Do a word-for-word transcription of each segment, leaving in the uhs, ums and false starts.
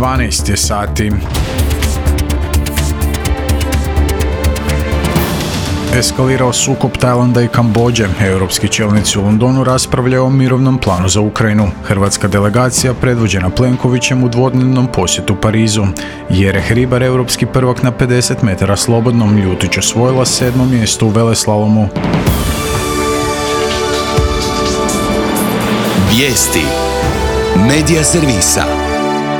dvanaest je sati. Eskalirao sukob Tajlanda i Kambodže. Europski čelnici u Londonu raspravljaju o mirovnom planu za Ukrajinu. Hrvatska delegacija predvođena Plenkovićem u dvodnevnom posjetu Parizu. Jereh Hribar, europski prvak na pedeset metara slobodnom, Ljutić osvojila sedmo mjesto u veleslalomu. Vijesti Medija servisa.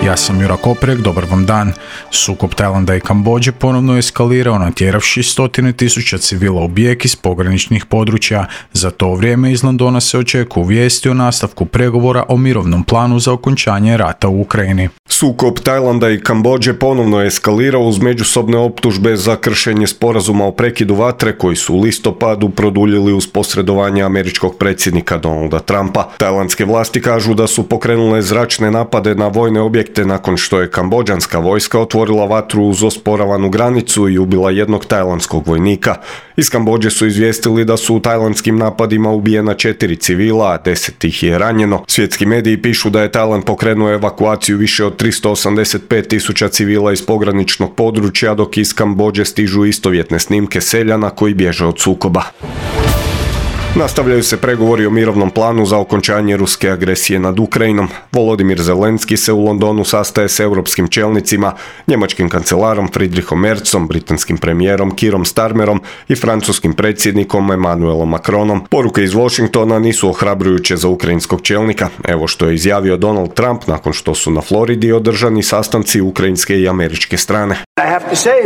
Ja sam Jura Koprek, dobar vam dan. Sukob Tajlanda i Kambodže ponovno je eskalirao, natjeravši stotine tisuća civila u bijeg iz pograničnih područja. Za to vrijeme iz Londona se očekuju vijesti o nastavku pregovora o mirovnom planu za okončanje rata u Ukrajini. Sukob Tajlanda i Kambodže ponovno je eskalirao uz međusobne optužbe za kršenje sporazuma o prekidu vatre koji su u listopadu produljili uz posredovanje američkog predsjednika Donalda Trumpa. Tajlandske vlasti kažu da su pokrenule zračne napade na vojne objekte nakon što je kambodžanska vojska otvorila vatru uz osporavanu granicu i ubila jednog tajlandskog vojnika. Iz Kambodže su izvijestili da su u tajlandskim napadima ubijena četiri civila, a deset ih je ranjeno. Svjetski mediji pišu da je Tajland pokrenuo evakuaciju više od tristo osamdeset pet tisuća civila iz pograničnog područja, dok iz Kambodže stižu istovjetne snimke seljana koji bježe od sukoba. Nastavljaju se pregovori o mirovnom planu za okončanje ruske agresije nad Ukrajinom. Volodimir Zelenski se u Londonu sastaje s europskim čelnicima, njemačkim kancelarom Friedrichom Merzom, britanskim premijerom Keerom Starmerom i francuskim predsjednikom Emmanuelom Macronom. Poruke iz Washingtona nisu ohrabrujuće za ukrajinskog čelnika. Evo što je izjavio Donald Trump nakon što su na Floridi održani sastanci ukrajinske i američke strane.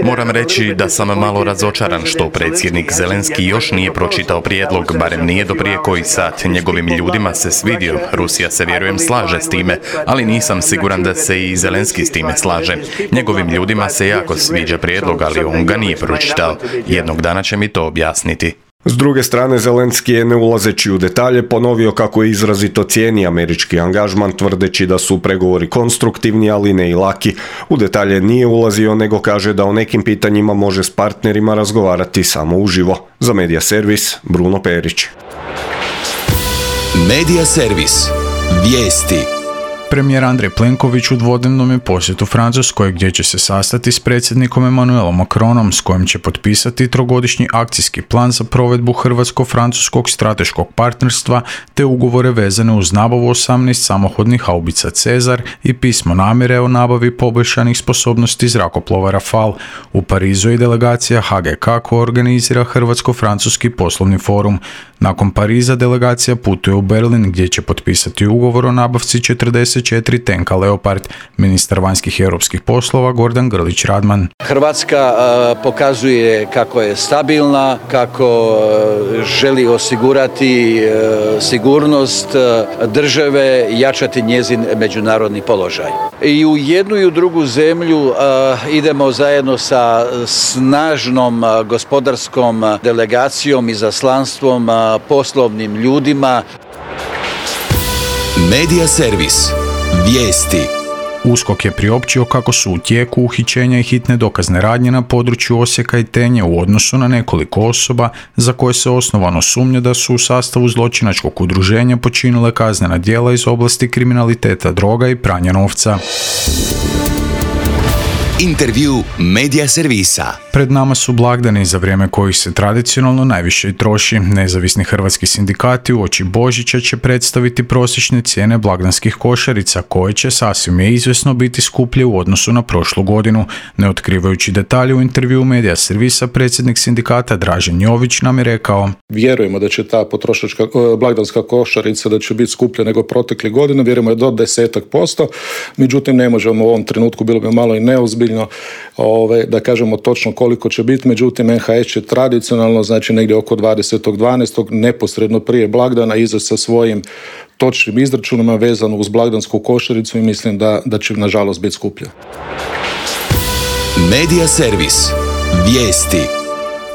Moram reći da sam malo razočaran što predsjednik Zelenski još nije pročitao prijedlog, barem nije do prije koji sat. Njegovim ljudima se svidio, Rusija se vjerujem slaže s time, ali nisam siguran da se i Zelenski s time slaže. Njegovim ljudima se jako sviđa prijedlog, ali on ga nije pročitao. Jednog dana će mi to objasniti. S druge strane, Zelenski je, ne ulazeći u detalje, ponovio kako je izrazito cijeni američki angažman, tvrdeći da su pregovori konstruktivni, ali ne i laki. U detalje nije ulazio, nego kaže da o nekim pitanjima može s partnerima razgovarati samo uživo. Za Medija servis, Bruno Perić. Medija servis. Vijesti. Premijer Andrej Plenković u dvodnevnom je posjetu Francuskoj, gdje će se sastati s predsjednikom Emmanuelom Macronom, s kojim će potpisati trogodišnji akcijski plan za provedbu hrvatsko-francuskog strateškog partnerstva te ugovore vezane uz nabavu osamnaest samohodnih haubica Cezar i pismo namjere o nabavi poboljšanih sposobnosti zrakoplova Rafale. U Parizu je delegacija H G K koja organizira Hrvatsko-francuski poslovni forum. Nakon Pariza delegacija putuje u Berlin, gdje će potpisati ugovor o nabavci četrdeset četiri tenka Leopard. Ministar vanjskih i europskih poslova Gordan Grlić Radman. Hrvatska uh, pokazuje kako je stabilna, kako uh, želi osigurati uh, sigurnost uh, države, jačati njezin međunarodni položaj. I u jednu i u drugu zemlju uh, idemo zajedno sa snažnom uh, gospodarskom delegacijom i zaslanstvom, uh, poslovnim ljudima. Medija servis. Vijesti. USKOK je priopćio kako su u tijeku uhićenja i hitne dokazne radnje na području Osijeka i Tenje u odnosu na nekoliko osoba za koje se osnovano sumnja da su u sastavu zločinačkog udruženja počinile kaznena djela iz oblasti kriminaliteta droga i pranja novca. Intervju Medija servisa. Pred nama su blagdani za vrijeme kojih se tradicionalno najviše i troši. Nezavisni hrvatski sindikati uoči Božića će predstaviti prosječne cijene blagdanskih košarica, koje će sasvim je izvjesno biti skuplje u odnosu na prošlu godinu. Ne otkrivajući detalje u intervju Medija servisa, predsjednik sindikata Dražen Jović nam je rekao: Vjerujemo da će ta potrošačka blagdanska košarica da će biti skuplja nego protekle godine, vjerujemo je do desetak posto, međutim ne možemo u ovom trenutku, bilo bi malo i neozbiljno Ove, da kažemo točno koliko će biti, međutim N H S će tradicionalno, znači negdje oko dvadesetog dvanaestog neposredno prije blagdana izaći sa svojim točnim izračunima vezano uz blagdansku košaricu i mislim da, da će nažalost biti skuplja. Medija servis. Vijesti.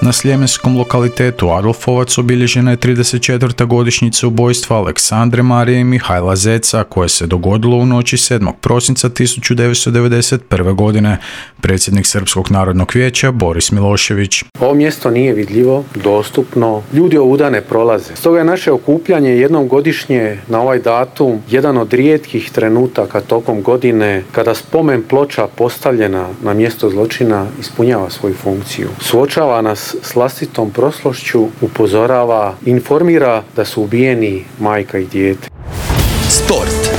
Na sljemenskom lokalitetu Adolfovac obilježena je trideset četvrta godišnjica ubojstva Aleksandre Marije i Mihajla Zeca, koje se dogodilo u noći sedmog prosinca tisuću devetsto devedeset prve. godine. Predsjednik Srpskog narodnog vijeća Boris Milošević. Ovo mjesto nije vidljivo, dostupno, ljudi ovuda ne prolaze. Stoga je naše okupljanje jednom godišnje na ovaj datum jedan od rijetkih trenutaka tokom godine kada spomen ploča postavljena na mjesto zločina ispunjava svoju funkciju. Suočava nas s vlastitom prošlošću, upozorava, informira da su ubijeni majka i dijete. Sport.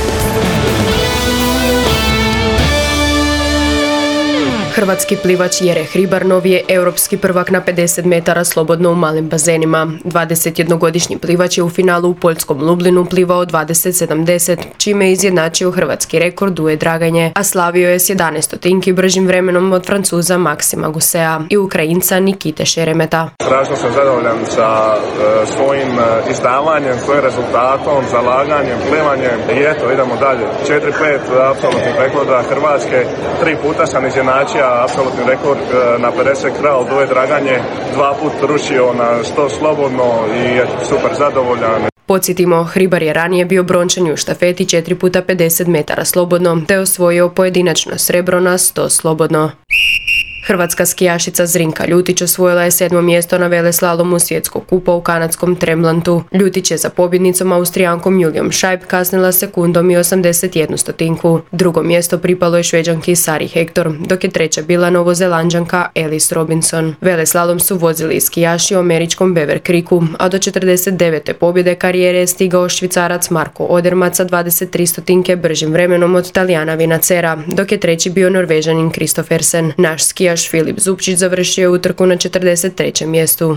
Hrvatski plivač Jere Hribarnov je europski prvak na pedeset metara slobodno u malim bazenima. dvadesetjednogodišnji plivač je u finalu u poljskom Lublinu plivao dvadeset sedamdeset, čime je izjednačio hrvatski rekord Duje Draganje, a slavio je s jedanaest stotinki bržim vremenom od Francuza Maksima Gusea i Ukrajinca Nikite Šeremeta. Strašno sam zadovoljan sa e, svojim e, izdavanjem, svojim rezultatom, zalaganjem, plivanjem i eto, idemo dalje. četiri pet apsolutnih rekorda Hrvatske, tri puta sam izjednačio apsolutni rekord na pedeset kral Duje Draganje, dva put rušio na sto slobodno i je super zadovoljan. Podsjetimo, Hribar je ranije bio brončani u štafeti četiri puta pedeset metara slobodno, te osvojio pojedinačno srebro na sto slobodno. Hrvatska skijašica Zrinka Ljutić osvojila je sedmo mjesto na veleslalomu svjetskog kupa u kanadskom Tremblantu. Ljutić je za pobjednicom Austrijankom Julijom Šajb kasnila sekundom i osamdeset jednu stotinku. Drugo mjesto pripalo je Šveđanki Sari Hector, dok je treća bila Novozelanđanka Alice Robinson. Veleslalom su vozili skijaši u američkom Beaver Creeku, a do četrdeset devete pobjede karijere je stigao Švicarac Marko Odermatt sa dvadeset tri stotinke bržim vremenom od Talijana Vinacera, dok je treći bio Norvežanin Kristoffersen. Naš skijaš Filip Zupčić završio je utrku na četrdeset trećem mjestu.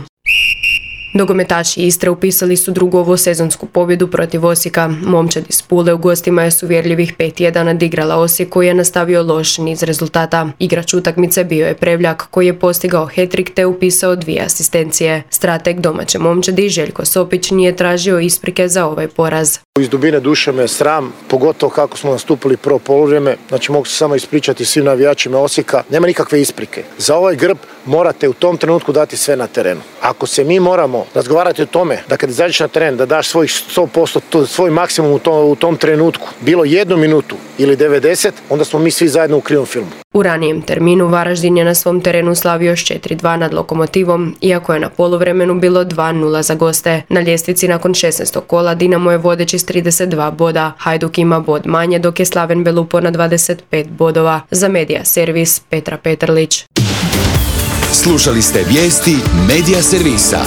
Nogometaši Istre upisali su drugu ovosezonsku pobjedu protiv Osijeka. Momčad iz Pule u gostima je s uvjerljivih pet jedan nadigrala Osijek, koji je nastavio loš niz rezultata. Igrač utakmice bio je Prevljak, koji je postigao hat-trick te upisao dvije asistencije. Strateg domaće Momčadi Željko Sopić nije tražio isprike za ovaj poraz. Iz dubine duše me sram, pogotovo kako smo nastupili prvo poluvrijeme. Znači mogu se samo ispričati svim navijačima Osijeka. Nema nikakve isprike. Za ovaj grb morate u tom trenutku dati sve na terenu. Ako se mi moramo razgovarati o tome da kad izađeš na teren da daš svojih sto posto, svoj maksimum u tom, u tom trenutku, bilo jednu minutu ili devedeset, onda smo mi svi zajedno u krivom filmu. U ranijem terminu Varaždin je na svom terenu slavio s četiri dva nad Lokomotivom, iako je na poluvremenu bilo dva nula za goste. Na ljestvici nakon šesnaestog kola Dinamo je vodeći s trideset dva boda, Hajduk ima bod manje, dok je Slaven Belupo na dvadeset pet bodova. Za Medija servis Petra Petrlić. Slušali ste vijesti Medija servisa.